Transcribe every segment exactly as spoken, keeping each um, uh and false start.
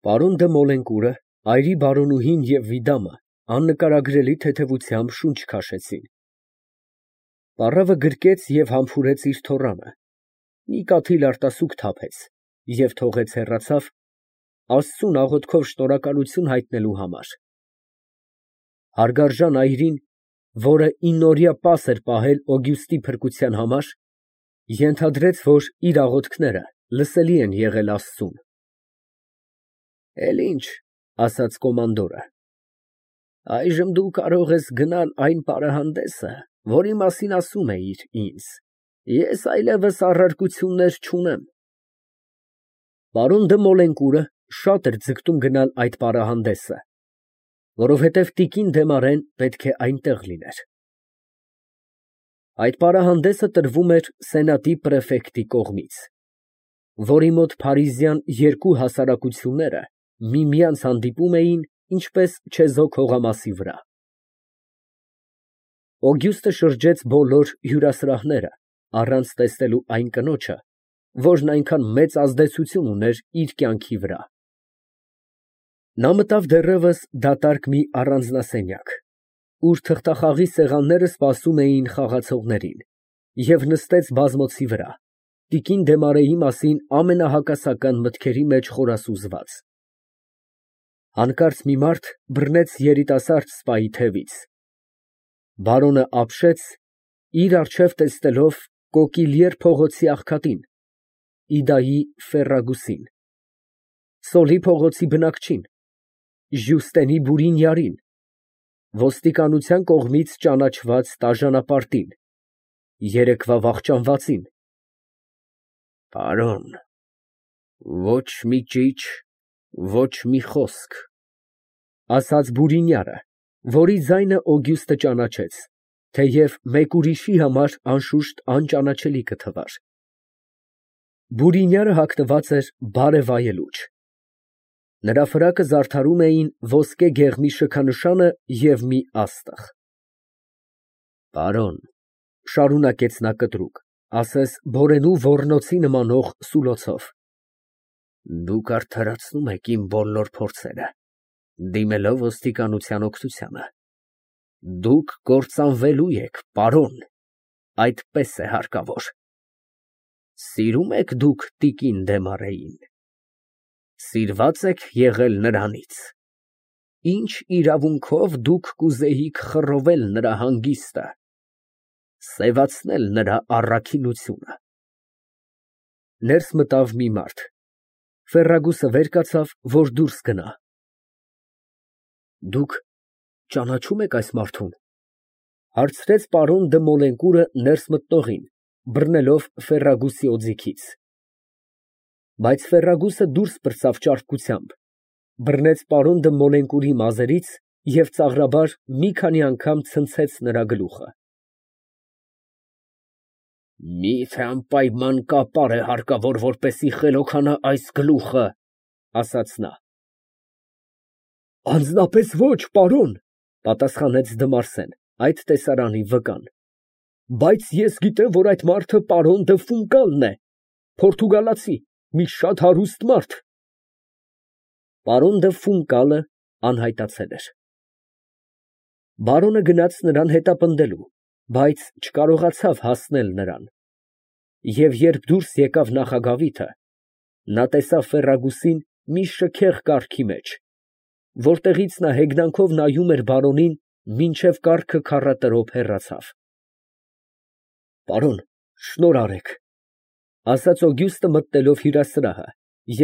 Պարոն դը Մոլենկուրը, այրի բարոնուհին և Վիդամը աննկարագրելի թեթևությամբ շունչ քաշեցին. պառավը գրկեց և համբուրեց իր թոռանը, մի կաթիլ արտասուք թափեց և թողեց հեռացավ, Աստծուն աղոթքով շնորհակալություն հայտնելու համար։ Հարգարժան այրին, որը իննօրյա պաս էր պահել Օգյուստի փրկության համար, ենթադրեց, որ իր աղոթքները լսելի են եղել Աստծուն։ «Էլ ինչ, ֊ ասաց կոմանդորը, ֊ այժմ դու կարող ես գնալ այն պարահանդեսը, որի մասին ասում էիր ինձ, ես այլևս առարկություններ չունեմ»։ Պարոն դը Մոլենկուրը շատ էր ձգտում գնալ այդ պարահանդեսը, որովհետև տիկին Դեմարեն պետք է այնտեղ լիներ։ Այդ պարահանդեսը տրվում էր սենատի պրեֆեկտի կողմից, որի մոտ փարիզյան երկու հասարակությունները միմյանց հանդիպում էին ինչպես չեզոք հողամասի վրա։ Օգյուստը շրջեց բոլոր հյուրասրահները, առանց տեսնելու այն կնոջը, որն այնքան մեծ ազդեցություն ուներ իր կյանքի վրա։ Նա մտավ դեռևս դատարկ մի առանձնասենյակ, ուր թղթախաղի սեղանները սպասում էին խաղացողներին, և նստեց բազմոցի վրա, տիկին Դեմարեի մասին ամենահակասական մտքերի մեջ խորասուզված։ Հանկարծ մի մարդ բռնեց երիտասարդ սպայի թևից։ Բարոնը ապշեց, իր առջև տեսնելով Կոկիլիեր փողոցի աղքատին, Իդայի Ֆերրագուսին, Սոլի փողոցի բնակչին, Ժյուստենի Բուրինյարին, ոստիկանության կողմից ճանաչված տաժանապարտին, երեկվա վախճանվածին։ «Պարոն, ոչ մի ճիչ, ոչ մի խոսք», ֊ ասաց Բուրինյարը, որի ձայնը Օգյուստը ճանաչեց, թեև մեկ ուրիշի համար անշուշտ անճանաչելի կթվար։ Բուրինյարը հագնված էր բարեվայելուչ։ Նրա ֆրակը զարդարում էին ոսկե գեղմի շքանշանը և մի աստղ։ «Պարոն, ֊ շարունակեց նա կտրուկ, ասես բորենու ոռնոցի նմանող սուլոցով, ֊ դուք արդարացնում եք իմ բոլոր փորձերը, դիմելով ոստիկանության օգնությանը։ Դուք կործանվելու եք, պարոն, այդպես է հարկավոր։ Սիրո՞ւմ եք դուք տիկին Դեմարեին։ Սիրված եք եղել նրանից։ Ինչ իրավունքով դուք կուզեիք խռովել նրա հանգիստը, սևացնել նրա առաքինությունը»։ Ներս մտավ մի մարդ։ Ֆերրագուսը վեր կացավ, որ դուրս գնա։ «Դուք ճանաչո՞ւմ եք այս մարդուն, ֊ հարցրեց պարոն դը Մոլենկուրը ներս մտնողին, բռնելով Ֆերրագուսի օձիքից։ Բայց Ֆերրագուսը դուրս պրծավ ճարպկությամբ, բռնեց պարոն դը Մոլենկուրի մազերից և ծաղրաբար մի քանի անգամ ցնցեց նրա գլուխը։ «Մի՞թե անպայման կապար է հարկավոր, որպեսզի խելոքանա այս գլուխը», ֊ ասաց նա։ «Անձնապես ոչ, պարոն, ֊ պատասխանեց Դմարսեն, այդ տեսարանի վկան, ֊ բայց ես գիտեմ, որ այդ մարդը պարոն դը Ֆունկալն է, պորտուգալացի, մի շատ հարուստ մարդ»։ Պարոն դը Ֆունկալը անհայտացել էր։ Բարոնը գնաց նրան հետապնդելու, բայց չկարողացավ հասնել նրան, և երբ դուրս եկավ նախագավիթը, նա տեսավ Ֆերրագուսին մի շքեղ կառքի մեջ, որտեղից նա հեգնանքով նայում էր բարոնին, մինչև կառքը քառատրոփ հեռացավ։ «Պարոն, շնորհ արեք, ֊ ասաց Օգյուստը մտնելով հյուրասրահը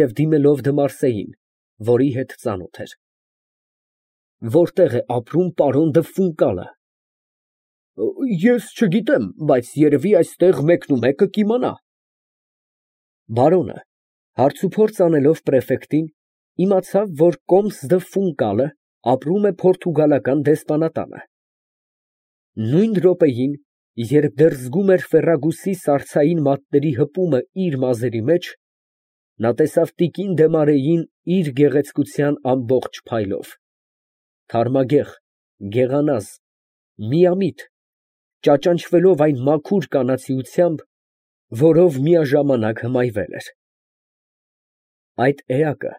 և դիմելով Դմարսեին, որի հետ ծանոթ էր։ ֊ Որտե՞ղ է ապրում պարոն դը Ֆունկալը։ ֊ Ես չգիտեմ, բայց երևի այստեղ մեկնումեկը կիմանա։ Բարոնը, հարցուփորձ անելով պրեֆեկտին, իմացավ, որ կոմս դը Ֆունկալը ապրում է պորտուգալական դեսպանատանը։ Նույն րոպեին, երբ դեռ զգում էր Ֆերրագուսի սառցային մատների հպումը իր մազերի մեջ, նա տեսավ տիկին Դեմարեին իր գեղեցկության ամբողջ փայլով, թարմագեղ, գեղանազ, միամիտ, ճաճանչվելով այն մաքուր կանացիությամբ, որով միաժամանակ հմայվել էր։ Այդ էակը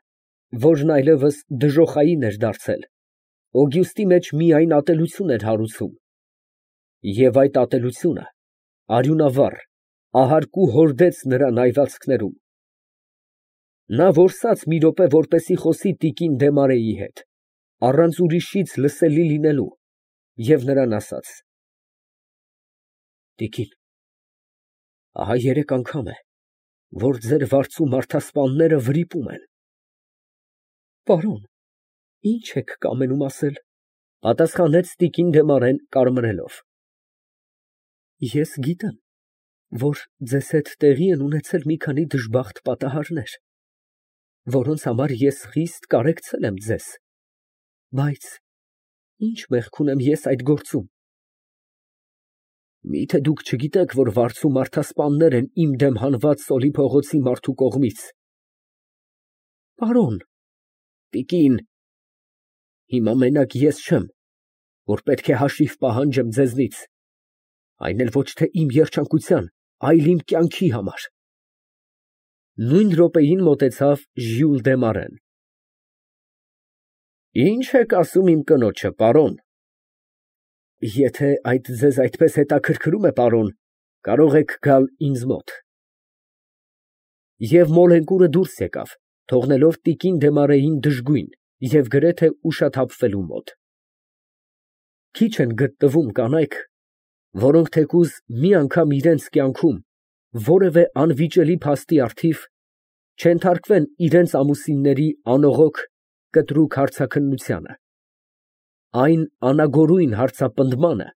որն այլևս դժոխային էր դարձել, Օգյուստի մեջ միայն ատելություն էր հարուցում, և այդ ատելությունը արյունավառ, ահարկու հորդեց նրա նայվածքներում։ Նա որսաց մի րոպե, որպեսզի խոսի տիկին Դեմարեի հետ, առանց ուրիշից լսելի լինելու, և նրան ասաց. «Տիկին, ահա երեք անգամ է, որ ձեր վարձու մարդասպանները վրիպում են»։ «Պարոն, ի՞նչ եք կամենում ասել», ֊ պատասխանեց տիկին Դեմարեն կարմրելով։ «Ես գիտեմ, որ ձեզ հետ տեղի են ունեցել մի քանի դժբախտ պատահարներ, որոնց համար ես խիստ կարեկցել եմ ձեզ, բայց ի՞նչ մեղք ունեմ ես այդ գործում։ Մի՞թե դուք չգիտեք, որ վարձու մարդասպաններ են իմ դեմ հանված Սոլի փողոցի մարդու կողմից»։ «Պարոն…» «Տիկին, հիմա մենակ ես չեմ, որ պետք է հաշիվ պահանջեմ ձեզնից, այն էլ ոչ թե իմ երջանկության, այլ իմ կյանքի համար»։ Նույն րոպեին մոտեցավ Ժյուլ դե Մարեն։ «Ի՞նչ եք ասում իմ կնոջը, պարոն»։ «Եթե այդ ձեզ այդպես հետաքրքրում է, պարոն, կարող եք գալ ինձ մոտ»։ Եվ մոլենկուրը դուրս եկավ, թողնելով տիկին Դեմարեին դժգույն և գրեթե ուշաթափվելու մոտ։ Քիչ են գտնվում կանայք, որոնք թեկուզ մի անգամ իրենց կյանքում որևէ անվիճելի փաստի առթիվ չենթարկվեն իրենց ամուսինների անողոք, կտրուկ հարցաքննությանը, այն անագորույն հարցապնդմանը,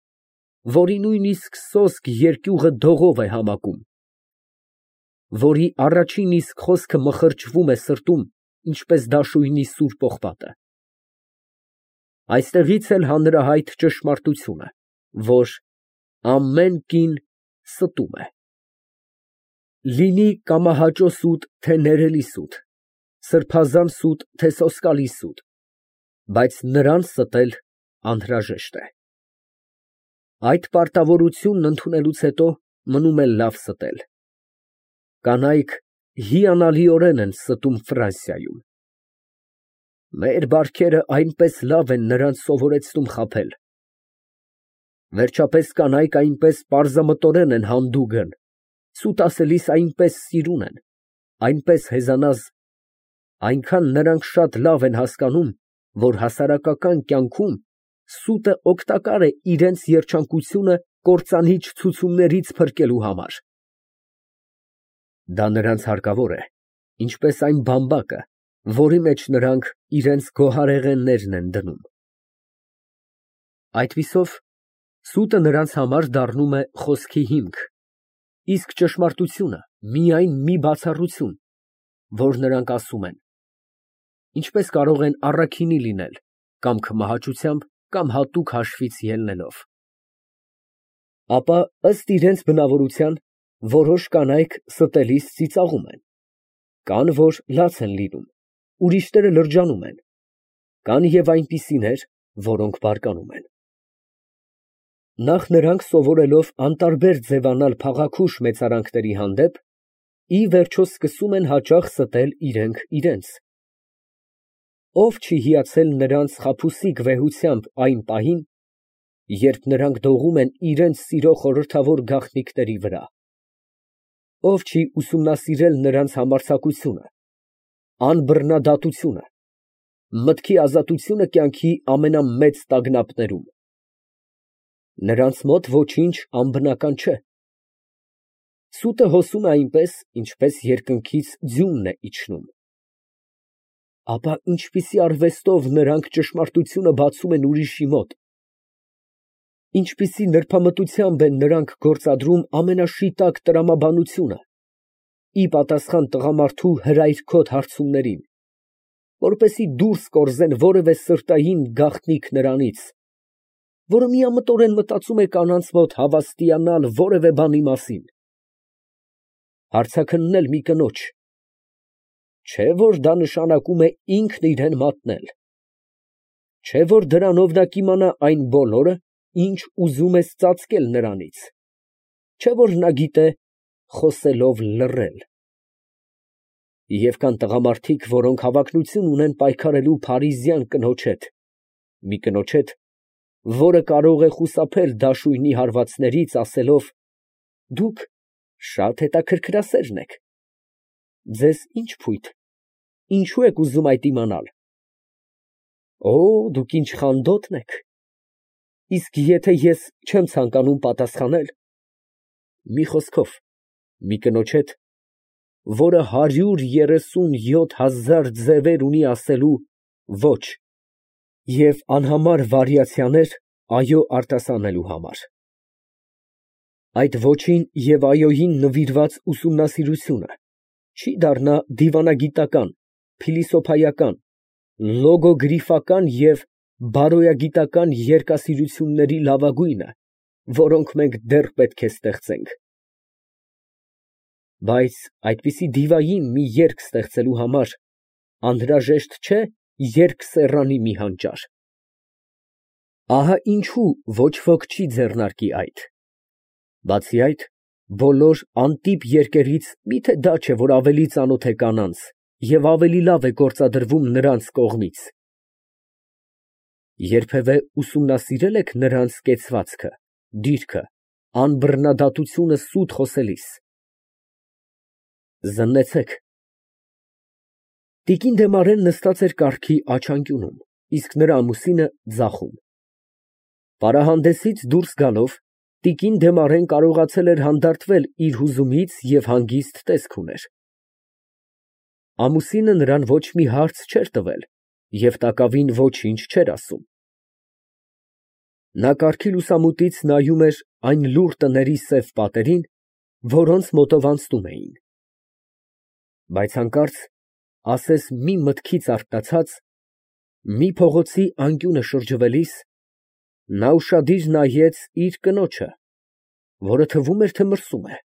որի նույնիսկ սոսկ երկյուղը դողով է համակում, որի առաջին իսկ խոսքը մխրճվում է սրտում, ինչպես դաշույնի սուր պողպատը։ Այստեղից էլ հանրահայտ ճշմարտությունը, որ ամեն կին ստում է։ Լինի կամահաճո սուտ, թե ներելի սուտ, սրբազան սուտ, թե սոսկալի սուտ, բայց նրան ստել անհրաժեշտ է։ Այդ պարտավորությունն ընդունելուց հետո մնում է լավ ստել։ Կանայք հիանալիորեն են ստում Ֆրանսիայում։ Մեր բարքերը այնպես լավ են նրանց սովորեցնում խաբել։ Վերջապես կանայք այնպես պարզամտորեն են հանդուգն, սուտ ասելիս այնպես սիրուն են, այնպես հեզանազ, այնքան նրանք շատ լավ են հասկանում, որ հասարակական կյանքում սուտը օգտակար է իրենց երջանկությունը կործանիչ ցուցումներից փրկելու համար։ Դա նրանց հարկավոր է, ինչպես այն բամբակը, որի մեջ նրանք իրենց գոհարեղեններն են դնում։ Այդպիսով սուտը նրանց համար դառնում է խոսքի հիմք, իսկ ճշմարտությունը միայն մի բացառություն, որ նրանք ասում են, ինչպես կարող են առաքինի լինել, կամ քմահաճությամբ, կամ հատուկ հաշվից ելնելով։ Ապա ըստ իրենց բնավորության որոշ կանայք ստելիս ծիծաղում են, կան, որ լաց են լինում, ուրիշները լրջանում են, կան և այնպիսիներ, որոնք բարկանում են։ Նախ նրանք սովորելով անտարբեր ձևանալ փաղաքուշ մեծարանքների հանդեպ, ի վերջո սկսում են հաճախ ստել իրենք իրենց։ Ո՞վ չի հիացել նրանց խաբուսիկ վեհությամբ այն պահին, երբ նրանք դողում են իրենց սիրո խորհրդավոր գաղտնիքների վրա։ Ո՞վ չի ուսումնասիրել նրանց համարձակությունը, անբռնադատությունը, մտքի ազատությունը կյանքի ամենամեծ տագնապներում։ Նրանց մոտ ոչինչ անբնական չէ։ Սուտը հոսում է այնպես, ինչպես երկնքից ձյունն է իջնում։ Ապա ինչպիսի արվեստով նրանք ճշմարտությունը բացում են ուրիշի մոտ, ինչպիսի նրբամտությամբ են նրանք գործադրում ամենաշիտակ տրամաբանությունը, ի պատասխան տղամարդու հրայրքոտ հարցումներին, որպեսզի դուրս կորզեն որևէ սրտային գաղտնիք նրանից, որը միամտորեն մտածում է կանանց մոտ հավաստիանալ որևէ բանի մասին։ Հարցաքննել մի կնոջ, չէ՞ որ դա նշանակում է ինքն իրան մատնել, չէ՞ որ դրանով նա կիմանա այն բոլորը, ինչ ուզում ես ծածկել նրանից, չէ՞ որ նա գիտե խոսելով լռել։ Եվ կան տղամարդիկ, որոնք հավակնություն ունեն պայքարելու փարիզյան կնոջ հետ, մի կնոջ հետ, որը կարող է խուսափել դաշույնի հարվածներից, ասելով. «Դուք շատ հետաքրքրասերն եք, ձեզ ի՞նչ փույթ, ինչո՞ւ եք ուզում այդ իմանալ։ Օ, դուք ինչ խանդոտն եք, իսկ եթե ես չեմ ցանկանում պատասխանել, մի խոսքով, մի կնոջ հետ, որը հարյուր երեսուն յոթ հազար ձևեր ունի ասելու ոչ և անհամար վարիացիաներ այո արտասանելու համար։ Այդ ոչին և այոյին նվիրված ուսումնասիրությունը չի դառնա դիվանագիտական, փիլիսոփայական, լոգոգրիֆական և բարոյագիտական երկասիրությունների լավագույնը, որոնք մենք դեռ պետք է ստեղծենք։ Բայց այդպիսի դիվային մի երգ ստեղծելու համար անհրաժեշտ չէ երկսեռանի մի հանճար։ Ահա ինչու ոչ ոք չի ձեռնարկի այդ։ Բացի այդ, բոլոր անտիպ երգերից միթե դա չէ, որ ավելի ծանոթ է կանանց և ավելի լավ է գործադրվում նրանց կողմից։ Երբևէ ուսումնասիրե՞լ եք նրանց կեցվածքը, դիրքը, անբռնադատությունը սուտ խոսելիս։ Զննեցեք։ Տիկին Դեմարեն նստած էր կառքի աջ անկյունում, իսկ նրա ամուսինը ձախում։ Պարահանդեսից դուրս գալով, տիկին Դեմարեն կարողացել էր հանդարտվել իր հուզումից և հանգիստ տեսք ուներ։ Ամուսինը նրան ոչ մի հարց չէր տվել և տակավին ոչինչ չէր ասում։ Նա կառքի լուսամուտից նայում էր այն լուռ տների սև պատերին, որոնց մոտով անցնում էին։ Բայց հանկարծ, ասես մի մտքից արթնացած, մի փողոցի անկյունը շրջվելիս, նա ուշադիր նայեց իր կնոջը, որը թվում էր, թե մրսում է,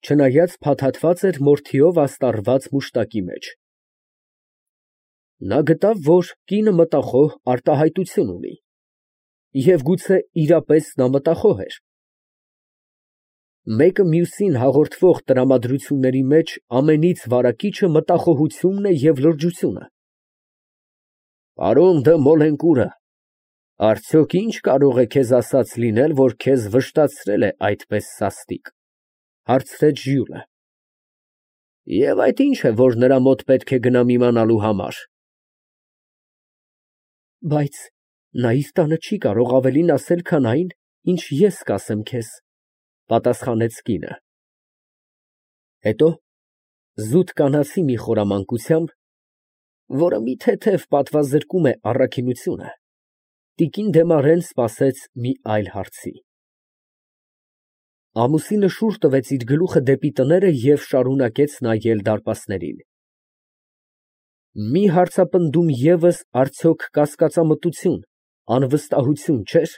չնայած փաթաթված էր մորթիով աստառված մուշտակի մեջ։ Նա գտավ, որ կինը մտախոհ արտահայտություն ունի, և գուցե իրապես նա մտախոհ էր։ Մեկը մյուսին հաղորդվող տրամադրությունների մեջ ամենից վարակիչը մտախոհությունն է և լրջությունը։ Պարոն դը Մոլենկուրը, արդյոք ինչ կարող է քեզ ասած լինել, որ քեզ վշտացրել է այդպես սաստիկ, հարցրեց Ժյուլը։ Եվ այդ ի՞նչ է, որ նրա մոտ պետք է գնամ իմանալու համար։ Բայց նա իր տանը չի կարող ավելին ասել, քան այն, ինչ ես կասեմ քեզ, պատասխանեց կինը։ Հետո զուտ կանացի մի խորամանկությամբ, որը մի թեթև պատվազրկում է առաքինությունը, տիկին Դեմարեն սպասեց մի այլ հարցի։ Ամուսինը շուռ տվեց իր գլուխը դեպի տները և շարունակեց նայել դարպասներին։ Մի հարցապնդում ևս արդյոք կասկածամտություն, անվստահություն չէ՞ր։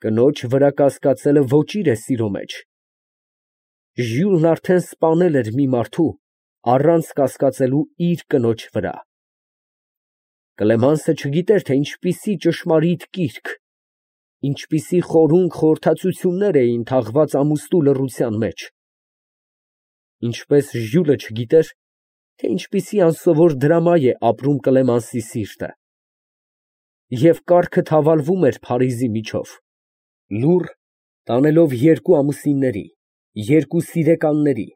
Կնոջ վրա կասկածելը ոճիր է սիրո մեջ։ Ժյուլն արդեն սպանել էր մի մարդու, առանց կասկածելու իր կնոջ վրա։ Կլեմանսը չգիտեր, թե ինչպիսի ճշմարիտ կիրք, ինչպիսի խորունկ խորհրդածություններ էին թաղված ամուստու լռության մեջ։ Ինչպես Ժյուլը չգիտեր, թե ինչպիսի անսովոր դրամա է ապրում Կլեմանսի սիրտը։ Եվ կառքը թավալվում էր Փարիզի միջով, լուռ, տանելով երկու ամուսինների, երկու սիրեկանների,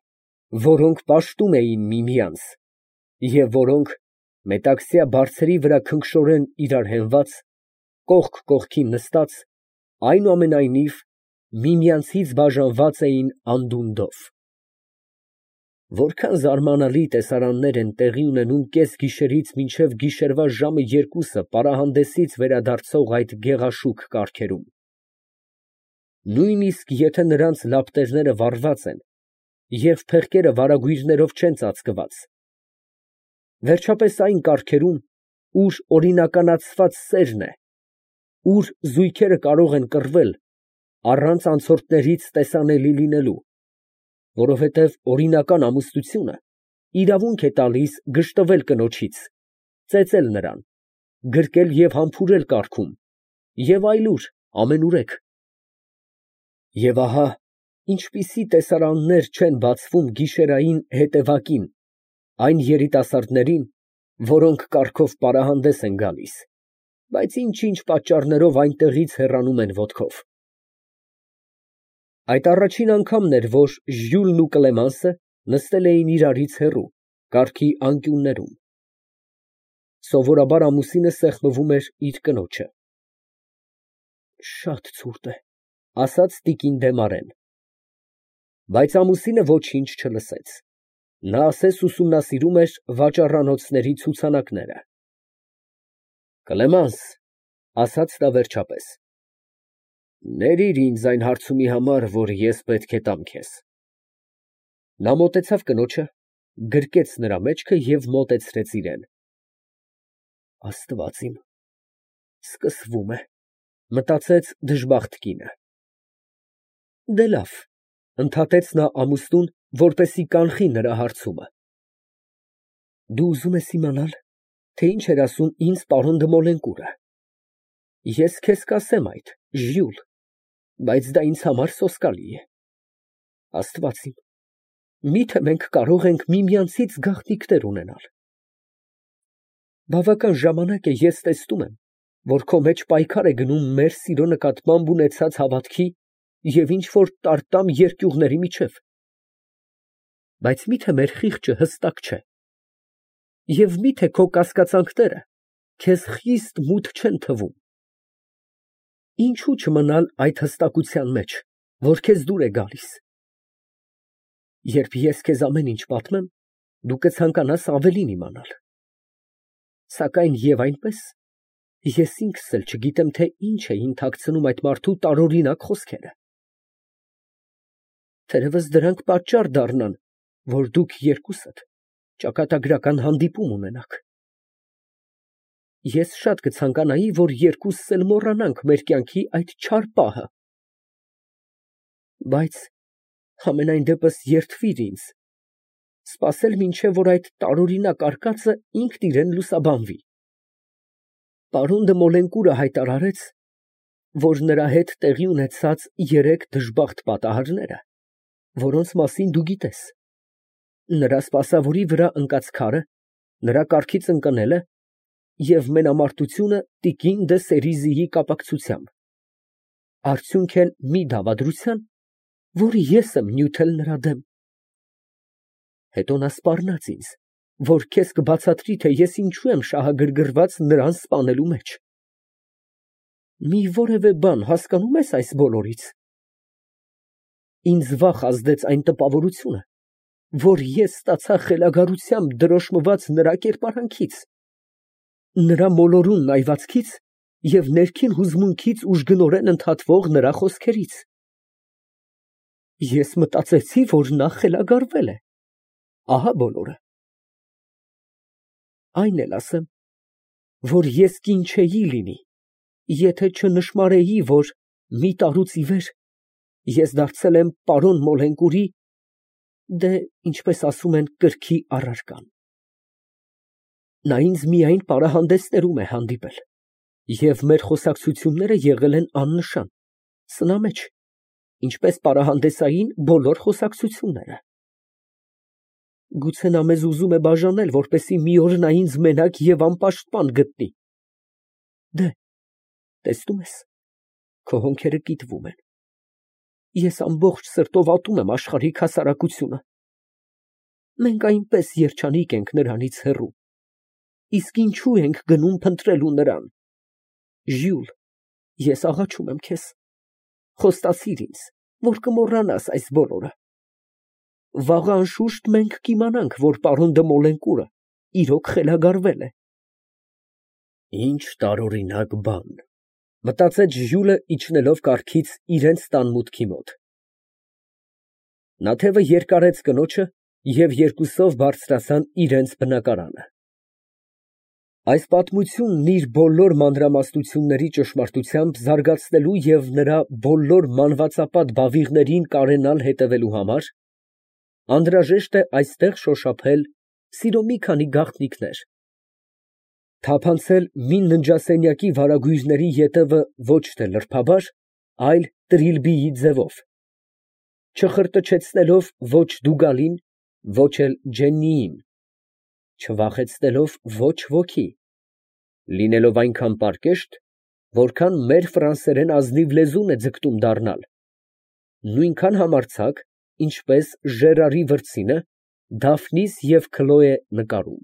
որոնք պաշտում էին միմյանց, և որոնք, մետաքսյա բարձերի վրա քնքշորեն իրար հենված, կողք կողքին նստած, այնուամենայնիվ, միմյանցից բաժանված էին անդունդով։ Որքան զարմանալի տեսարաններ են տեղի ունենում կեսգիշերից մինչև գիշերվա ժամը երկուսը պարահանդեսից վերադարձող այդ գեղաշուք կառքերում։ Նույնիսկ եթե նրանց լապտերները վառված են և փեղկերը վարագույրներով չեն ծածկված։ Վերջապես այն կառքերում, ուր օրինականացված սերն է, ուր զույգերը կարող են կռվել, առանց անցորդներից տեսանելի լինելու, որովհետև օրինական ամուսնությունը իրավունք է տալիս գժտվել կնոջից, ծեծել նրան, գրկել և համբուրել կառքում և այլուր ամենուրեք։ Եվ ահա, ինչպիսի տեսարաններ չեն բացվում գիշերային հետևակին այն երիտասարդներին, որոնք կառքով պարահանդես են գալիս, բայց ինչ֊ինչ պատճառներով այնտեղից հեռանում են ոտքով։ Այդ առաջին անգամն էր, որ Ժյուլն ու Կլեմանսը նստել էին իրարից հեռու, կառքի անկյուններում։ Սովորաբար ամուսինը սեղմում էր իր կնոջը։ Շատ ցուրտ է, ասաց տիկին Դեմարեն։ Բայց ամուսինը ոչինչ չլսեց։ Նա ասես ուսումնասիրում էր վաճառանոցների ցուցանակները։ Կլեմանս, ասաց նա վերջապես, ներիր ինձ այն հարցումի համար, որ ես պետք է տամ քեզ։ Նա մոտեցավ կնոջը, գրկեց նրա մեջքը և մոտեցրեց իրան։ Աստված իմ, սկսվում է, մտածեց դժբախտ կինը։ Դե լավ, ընդհատեց նա ամուսնուն, որպեսզի կանխի նրա հարցումը։ Դու ուզում ես իմանալ, թե ինչ էր ասում ինձ պարոն դը Մոլենկուրը։ Ես քեզ կասեմ այդ, Ժյուլ, բայց դա ինձ համար սոսկալի է։ Աստված իմ, միթե մենք կարող ենք միմյանցից գաղտնիքներ ունենալ։ Բավական ժամանակ է ես տեսնում եմ, որ քո մեջ պայքար է գնում մեր սիրո նկատմամբ ունեցած հավատքի և ինչ֊որ տարտամ երկյուղների միջև։ Բայց միթե մեր խիղճը հստակ չէ։ Եվ միթե քո կասկածանքները քեզ խիստ մութ չեն թվում։ Ինչո՞ւ չմնալ այդ հստակության մեջ, որ քեզ դուր է գալիս։ Երբ ես քեզ ամեն ինչ պատմեմ, դու կցանկանաս ավելին իմանալ։ Սակայն և այնպես, ես ինքս էլ չգիտեմ, թե ինչ էին թաքցնում այդ մարդու տարօրինակ խոսքերը։ Թերևս դրանք պատճառ դառնան, որ դուք երկուսդ ճակատագրական հանդիպում ունենաք։ Ես շատ կցանկանայի, որ երկուսս էլ մոռանանք մեր կյանքի այդ չար պահը։ Բայց համենայն դեպս երդվիր ինձ, սպասել մինչև որ այդ տարօրինակ արկածը ինքն իրան լուսաբանվի։ Պարոն դը Մոլենկուրը հայտարարեց, որ նրա հետ տեղի ունեցած երեք դժբախտ պատահարները, որոնց մասին դու գիտես, նրա սպասավորի վրա ընկած քարը, նրա կառքից ընկնելը և մենամարտությունը տիկին դը Սերիզիի կապակցությամբ, արդյունք են մի դավադրության, որ ես եմ նյութել նրա դեմ։ Հետո նա սպառնաց ինձ, որ քեզ կբացատրի, թե ես ինչու եմ շահագրգռված նրան սպանելու մեջ։ Մի որևէ բան հասկանում ես այս բոլորից։ Ինձ վախ ազդեց այն տպավորությունը, որ ես ստացա խելագարությամբ դրոշմված նրա կերպարանքից, նրա մոլորուն նայվածքից և ներքին հուզմունքից ուժգնորեն ընդհատվող նրա խոսքերից։ Ես մտածեցի, որ նա խելագարվել է, ահա բոլորը։ Այն էլ ասեմ, որ ես կին չէի լինի, եթե չնշմարեի, որ մի տարուց ի վեր ես դարձել եմ պարոն Մոլենկուրի, դե, ինչպես ասում են, կրքի առարկան։ Նա ինձ միայն պարահանդեսներում է հանդիպել, և մեր խոսակցությունները եղել են աննշան, սնամեջ, ինչպես պարահանդեսային բոլոր խոսակցությունները։ Գուցե նա մեզ ուզում է բաժանել, որպեսզի մի օր նա ինձ մենակ և անպաշտպան գտնի։ Դե, տեսնում ես, քո հոնքերը կիտվում են։ Ես ամբողջ սրտով ատում եմ աշխարհիկ հասարակությունը։ Մենք այնպես երջանիկ ենք նրանից հեռու, իսկ ինչո՞ւ ենք գնում փնտրելու նրան։ Ժյուլ, ես աղաչում եմ քեզ, խոստացիր ինձ, որ կմոռանաս այս բոլորը։ Վաղը անշուշտ մենք կիմանանք, որ պարոն դը Մոլենկուրը իրոք խելագարվել է։ Ինչ տարօրինակ բան, մտածեց Ժյուլը, իջնելով կառքից իրենց տան մուտքի մոտ։ Նա թևը երկարեց կնոջը և երկուսով բարձրացան իրենց բնակարանը։ Այս պատմությունն իր բոլոր մանրամասնությունների ճշմարտությամբ զարգացնելու և նրա բոլոր մանվածապատ բավիղներին կարենալ հետևելու համար անհրաժեշտ է այստեղ շոշափել սիրո մի քանի գաղտնիքներ, թափանցել մի ննջասենյակի վարագույրների ետևը ոչ թե լրբաբար, այլ տրիլբիի ձևով, չխրտչեցնելով ոչ Դուգալին, ոչ էլ Ջեննիին, չվախեցնելով ոչ ոքի, լինելով այնքան պարկեշտ, որքան մեր ֆրանսերեն ազնիվ լեզուն է ձգտում դառնալ, նույնքան համարձակ, ինչպես Ժերարի վրձինը Դաֆնիս և Քլոե նկարում։